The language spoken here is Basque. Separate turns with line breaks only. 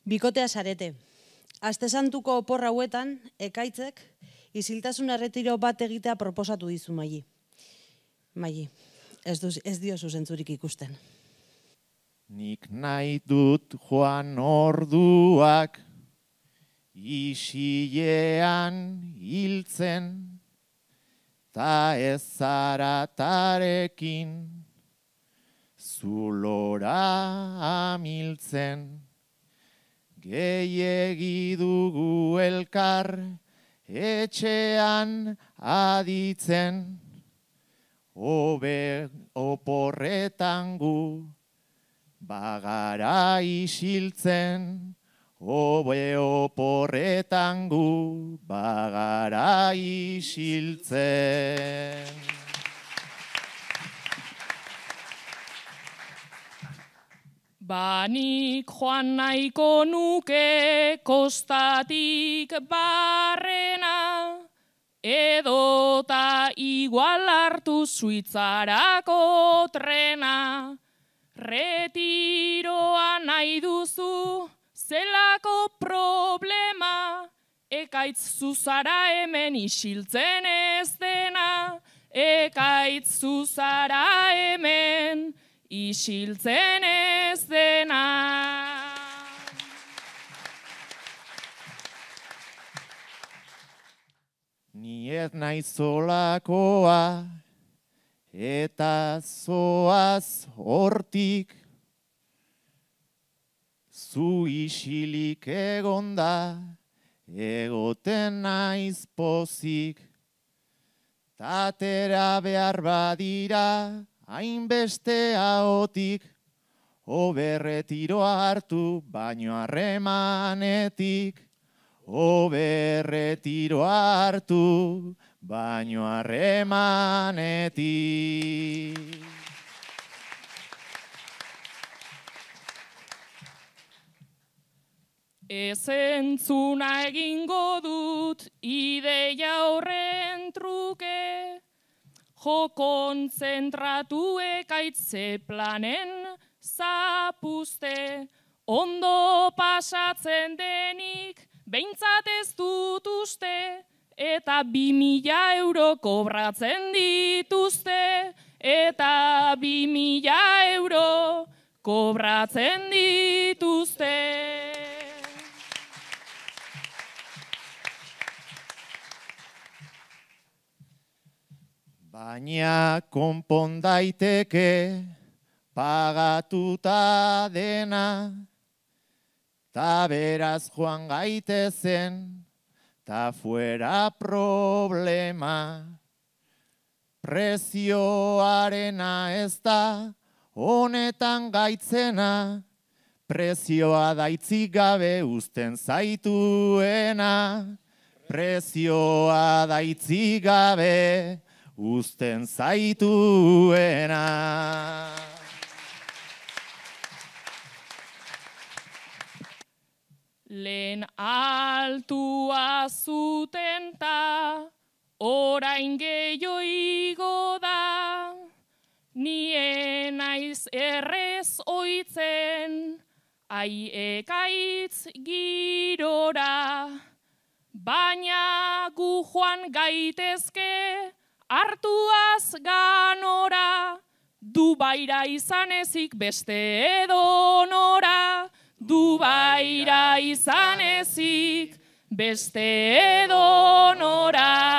Bikotea zarete. Astesantuko opor hauetan, ekaitzek, isiltasun erretiro bat egitea proposatu dizu Maili. Maili, ez diozu zentzurik ikusten.
Nik nahi dut joan orduak, isilean hiltzen, ta ez zaratarekin, zulora amiltzen. Gehiegi dugu elkar, etxean aditzen, hobe oporretan gu, bagara isiltzen, hobe oporretan gu, bagara isiltzen.
Banik joan nahiko nuke kostatik barrena, edota igual hartu Suitzarako trena. Retiroa nahi duzu, zelako problema, ekaitz zuzara hemen isiltzen ez dena, ekaitz zuzara hemen isiltzen ez dena.
Ni ez naiz zolakoa, eta zoaz hortik, zu isilik egonda, egoten naiz pozik, tatera behar badira, hainbeste ahotik, hobe retiroa hartu, baino harremanetik, hobe retiroa hartu, baino harremanetik.
Ez entzuna egingo dut ideia horren truke, jo kontzentratu ekaitze planen zapuzte, ondo pasatzen denik behintzat ez dut uste, eta 2.000 euro kobratzen dituzte, eta 2.000 euro kobratzen dituzte.
Baina konpon daiteke pagatuta dena, ta beraz joan gaitezen, ta fuera problema. Prezioarena ez da honetan gaitzena, prezioa daitzik gabe uzten zaituena, prezioa daitzik gabe uzten zaituena.
Lehen altua zuten ta, orain gehiago igo da, nien naiz errez oitzen, ai ekaitz girora, baina gu joan gaitezke, hartuaz ganora, Dubaira izan ezik beste edonora, Dubaira izan ezik beste edonora.